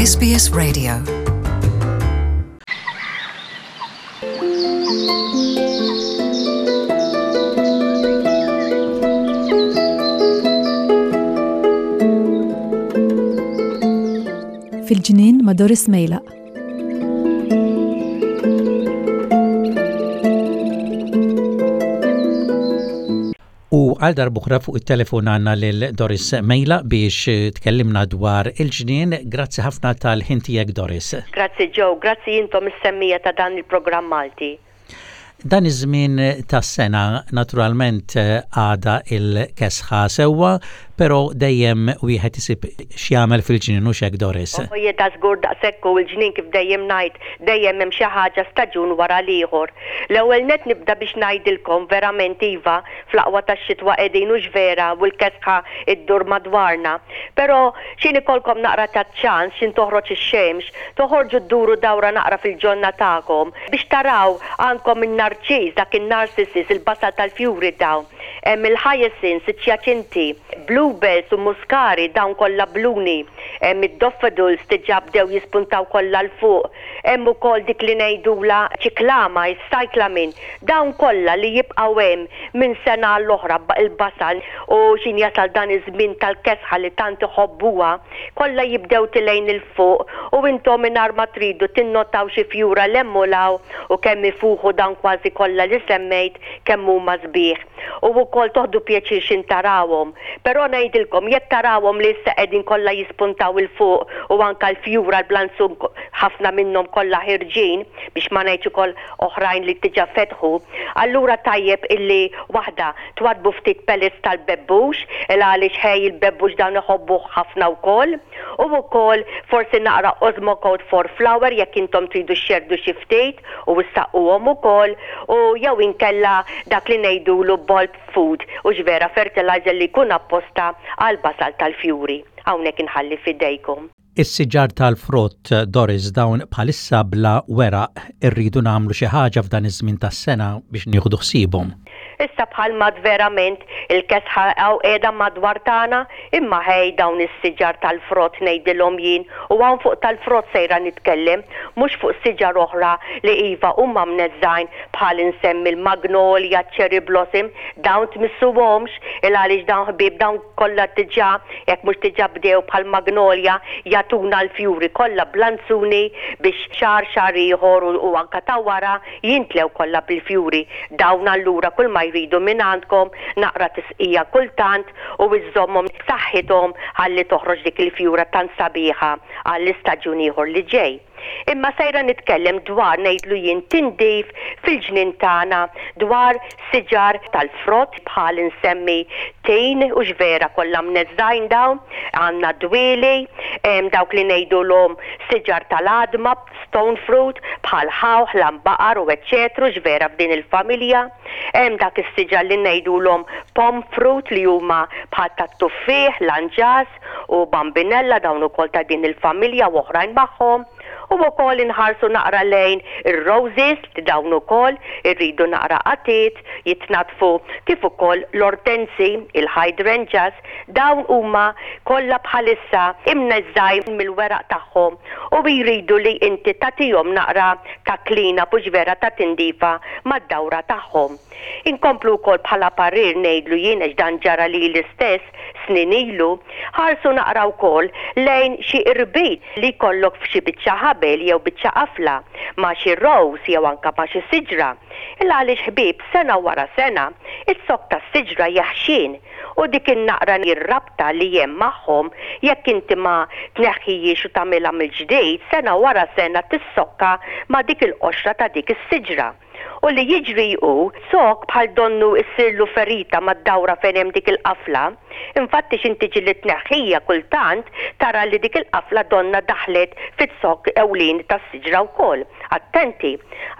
SBS Radio. Fil-ġnien ma' Doris Mejlaq. U għal darb'oħra fuq it-telefon għandna lil Doris Mejla biex tkellimna dwar il-ġnien. Grazzi ħafna tal-ħin tiegħek Doris. Grazzi Joe, grazzi intom is-semmiegħa ta' dan il-programm Malti. Dan iż-żmien tas-sena naturalment għadha il-kesħa sewwa, però dejjem wieħed isib x'jagħmel fil-ġnien hux hekk Doris? Oje da żgur daqshekk hu l-ġnien kif dejjem ngħid, dejjem hemm xi ħaġa staġun wara l-ieħor. L-ewwel nett nibda biex ngħidilkom verament iva fl-aqwa tax-xitwa qegħdin hux vera u l-kesħa ddur madwarna. Però x'in ikollkom naqra ta' ċans x'in toħroġ ix-xemx toħorġu dduru dawra naqra fil-ġonna tagħkom biex taraw għandkom in-narċiż dak in-narcissus il-basal tal-fjuri dawn hemm il-hyacinths iċ-ċjaċinti bluebells u muskari dawn kollha bluni hemm id-daffodils diġà bdew jispuntaw kollha 'l fuq Hemm ukoll dik li ngħidulha ċiklama, is-cyclamen. Dawn kollha li jibqgħu hemm minn sena għall-oħra, il-basal u x'in jasal dan iż-żmien tal-kesħa li tant iħobbuha, kollha jibdew tilgħin 'il fuq u intom mingħajr ma tridu tinnotaw xi fjura 'l hemm u 'l hawn u kemm ifuħu dawn kważi kollha li semmejt kemm huma sbieħ. U wkoll toħdu pjaċir x'in tarawhom. Però ngħidilkom, jekk tarawhom li issa qegħdin kollha jispuntaw 'il fuq u anke l-fjura l-blanzun ħafna minnhom kollha ħirġin, biex ma ngħidx ukoll oħrajn li diġà fetħu, allura tajjeb illi waħda, twaddbu ftit pellets tal-bebbux, il għaliex ħej il-bebbux dawn iħobbuh ħafna wkoll, u wkoll forsi naqra Osmocote for flower jekk intom tridu xxerrdu xi ftit u issaqquhom ukoll, u jew inkella dak li ngħidulu bulb food, hux vera fertilizer li jkun apposta għall-basal tal-fjuri. Hawnhekk inħalli f'idejkom. Is-siġar tal-frott, Doris, dawn bħalissa bla weraq, irridu nagħmlu xi ħaġa f'dan iż-żmien tas-sena biex nieħdu ħsiebhom. Issa bħal m'għad verament il-kesħa hawn qiegħda madwar tagħna, imma ħej dawn is-siġar tal-frott ngħidilhom jien u hawn fuq tal-frott sejra nitkellem, mhux fuq siġar oħra li iva huma mneżżgħin bħal insemmi l-magnolia, ċ-cherry blossom, dawn tmissuhomx il għaliex dawn ħbieb dawn kollha diġà jekk mhux diġà bdew bħall-magnolia jagħtuna l-fjuri kollha blanzuni biex xahar xahar ieħor u anke ta' wara jintlew kollha bil-fjuri. Dawn allura kull ma jridu mingħandkom naqra tisqija kultant u iżżommhom b'saħħithom ħalli toħroġ dik il-fjura tant sabiħa għall-istaġun ieħor li ġej. Imma sejra nitkellem dwar ngħidlu jien tindif fil-ġnien tagħna dwar siġar tal-frott bħal insemmi tin hux vera kollha mneżżgħin dawn, għandna dwieli, hemm dawk li ngħidulhom siġar tal-għadma, stone fruit, bħal ħawħ, lambaqar u eċċetru x'vera f'din il-familja. Hemm dak is-siġar li ngħidulhom pome fruit li huma bħal tat-tuffieħ, lanġas u bambinella dawn ukoll ta' din il-familja u oħrajn magħhom. U wkoll inħarsu naqra lejn ir-roses li dawn ukoll irridu naqra qatiet jitnaddfu kif ukoll l-ortensi, il-hydrangeas, Dawn huma kollha bħalissa imneżżgħin mill-weraq tagħhom u jridu li inti tagħtihom naqra ta' clean up hux vera ta' tindifa mad-dawra tagħhom. Inkomplu wkoll bħala parir ngħidlu jien għax dan ġara lili stess snin ilu, ħarsu naqra wkoll lejn xi irbit li jkollok f'xi biċċa ħabel jew biċċa qafla ma' xi rose jew anke ma' xi siġra. Il għaliex ħbieb sena wara sena iz-zokk tas-siġra jeħxien U dik in-naqra r-rabta li hemm magħhom, jekk inti ma tneħħihiex u tagħmilha mill-ġdid, sena wara sena tissokka ma' dik il-qoxra ta' dik is-siġra. U li jiġri hu, zokk bħal donnu ssirlu ferita mad-dawra fejn hemm dik il-qafla. Infatti x'int tiġi li tneħħija kultant tara li dik il-qafla donnha daħlet fiz-zokk ewlieni tas-siġra wkoll. Attenti!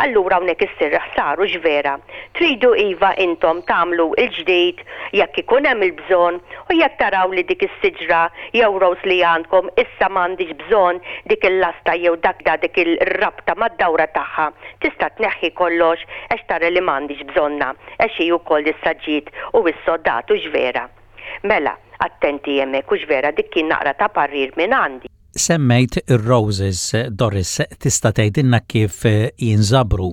Allura hawnhekk issir ħsara hux vera? Tridu iva intom tagħmlu l-ġdid jekk ikun hemm il-bżonn u jekk taraw li dik is-siġra jew rose li għandkom issa m'għandhiex bżonn dik il-lasta jew dak dik ir-rabta mad-dawra tagħha tista' tneħħi kollox għax tara li m'għandhiex bżonnha għax hi wkoll issa ġiet u issodat hux vera? Mela, attenti hemmhekk hux vera dik kien naqra ta' parir minn għandi. Semmejt ir-roses, Doris, tista' tgħidilna kif jinżabru?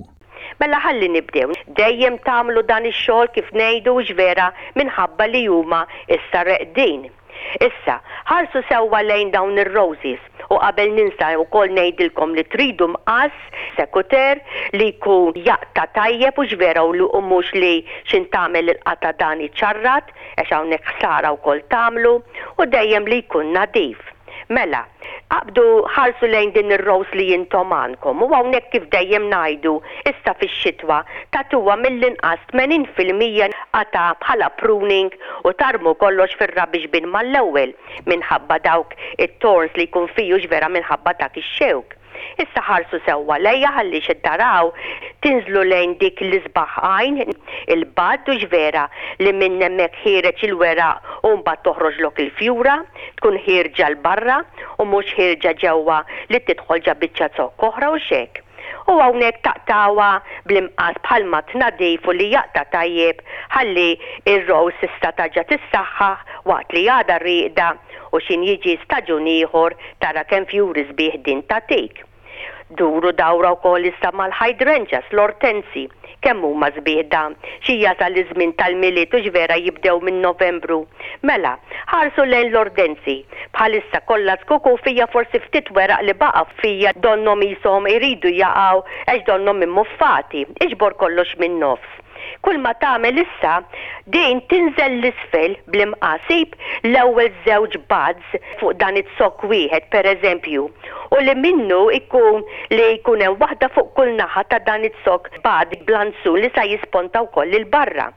Mela ħalli nibdew. Dejjem tagħmlu dan ix-xogħol kif ngħidu hux vera minħabba li huma issa reqdin. Issa, ħarsu sewwa lejn dawn ir-roses u qabel ninsa wkoll ngħidilkom li tridu mqass, secuteur, li jkun jaqta' tajjeb hux vera u li u mhux li x'int tagħmel il-qatgħa dan iċarrat għax hawnhekk ħsara wkoll tagħmlu u dejjem li jkun nadif. Mela, aqbdu ħarsu lejn din ir-rose li intom għandkom u hawnhekk kif dejjem ngħidu, issa fix-xitwa, tagħtuha mill-inqas 80% qatgħa bħala pruning u tarmu kollox fir-rubbish bin mal-ewwel minħabba dawk it-thorns li jkun fih hux vera minħabba dak ix-xewk. Issa ħarsu sewwa lejja ħalli xi taraw tinżlu lejn dik l-isbaħ għajn, il-bud hux vera li minn hemmhekk ħiereġ il-weraq u mbagħad toħroġlok il-fjura, tkun ħierġa 'l barra u mhux ħierġa ġewwa li tidħol ġa biċċa zokk oħra hux hekk. U hawnhekk taqtgħuha bl-imqass bħalma tnadif u li jaqta' tajjeb ħalli r-rose tista' tarġa' tissaħħaħ waqt li għadha rieqda u x'in jiġi staġun ieħor tara kemm fjuri sbieħ din tagħtik. Duru dawra wkoll issa mal-hydrangeas, l-ortensi. Kemm huma sbieħ dawn. Xi jasal iż-żmien tal-Milied hux vera jibdew minn Novembru. Mela, ħarsu lejn l-ordenzi. Bħalissa kollha zkuk u fija forsi ftit weraq li baqa' fija donnhom qishom iridu jaqgħu għax donnhom immuffati. Iġbor kollox min-nofs. Kull ma tagħmel issa, din tinżel 'l isfel bl-imqass, sib l-ewwel żewġ buds fuq dan iz-zokk wieħed per eżempju, u li minnu jkun li jkun hemm waħda fuq kull naħa ta' dan iz-zokk bud blanzun li sa jisponta wkoll 'il barra.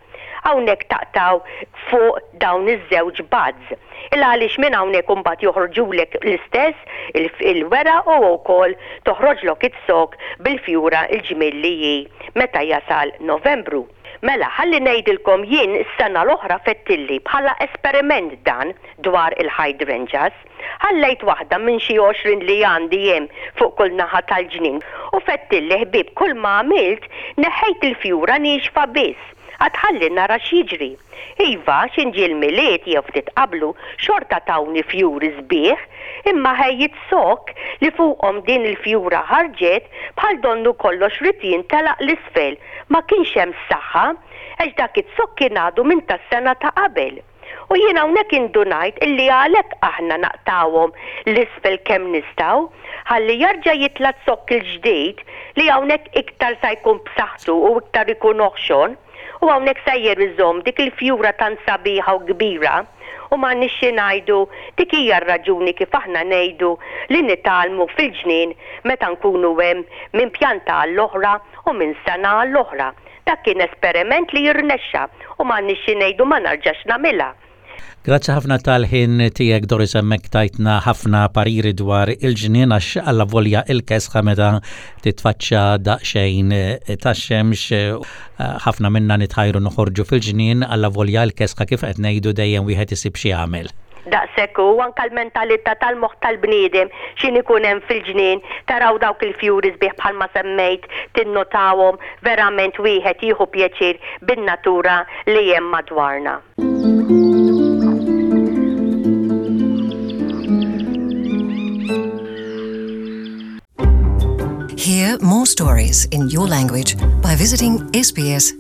Hawnhekk taqtgħu fuq dawn iż-żewġ buds. Il għaliex minn hawnhekk imbagħad joħorġulek l-istess il-weraq u wkoll toħroġlok iz-zokk bil-fjura l-ġmiel li hi meta jasal Novembru. Mela, ħalli ngħidilkom jien s-sena l-oħra fettilli bħala esperiment dan dwar il-hydrangeas. Ħallejt waħda minn xi 20 li għandi hemm fuq kull naħa tal-ġnien u fettilli ħbieb kull ma għamilt neħħejt il-fjura niexfa biss. Għad ħalli nara x'jiġri. Iva, x'in ġie l-Milied jew ftit qablu, xorta tawni fjuri sbieħ, imma ħejjiet zokk li fuqhom din il-fjura ħarġet bħal donnu kollox ried jintelaq 'l isfel, ma kienx hemm saħħa, għax dak iz-zokk kien għadu minn tas-sena ta' qabel. U jien hawnhekk indunajt illi għalhekk aħna naqtgħuhom 'l isfel kemm nistgħu, ħalli jarġa' jitla' z-zokk il-ġdid li hawnhekk iktar sa jkun b'saħħtu u iktar ikun oħxon, u hawnhekk sejjer iżomm dik il-fjura tant sabiħa u kbira. U m'għandniex xi ngħidu, dik hija r-raġuni kif aħna ngħidu li nitgħallmu fil-ġnien meta nkunu hemm minn pjanta għall-oħra u minn sena għall-oħra. Dak kien esperiment li rnexxa u m'għandniex xi ngħidu ma narġax nagħmilha. Grazzi ħafna tal-ħin tiegħek Doris hemmhekk tajtna ħafna pariri dwar il-ġnien għax allavolja il-kesħa meta titfaċċa daqsxejn tax-xemx ħafna minna nitħajru noħorġu fil-ġnien allavolja l-kesħa kif qed ngħidu dejjem wieħed isib xi jagħmel. Daqshekk hu, anke l-mentalità tal-moħħ tal-bniedem x'in ikun hemm fil-ġnien, taraw dawk il-fjuri sbieħ bħalma semmejt, tinnotawhom, verament wieħed jieħu pjaċir bin-natura li hemm madwarna. Hear more stories in your language by visiting sbs.com.au.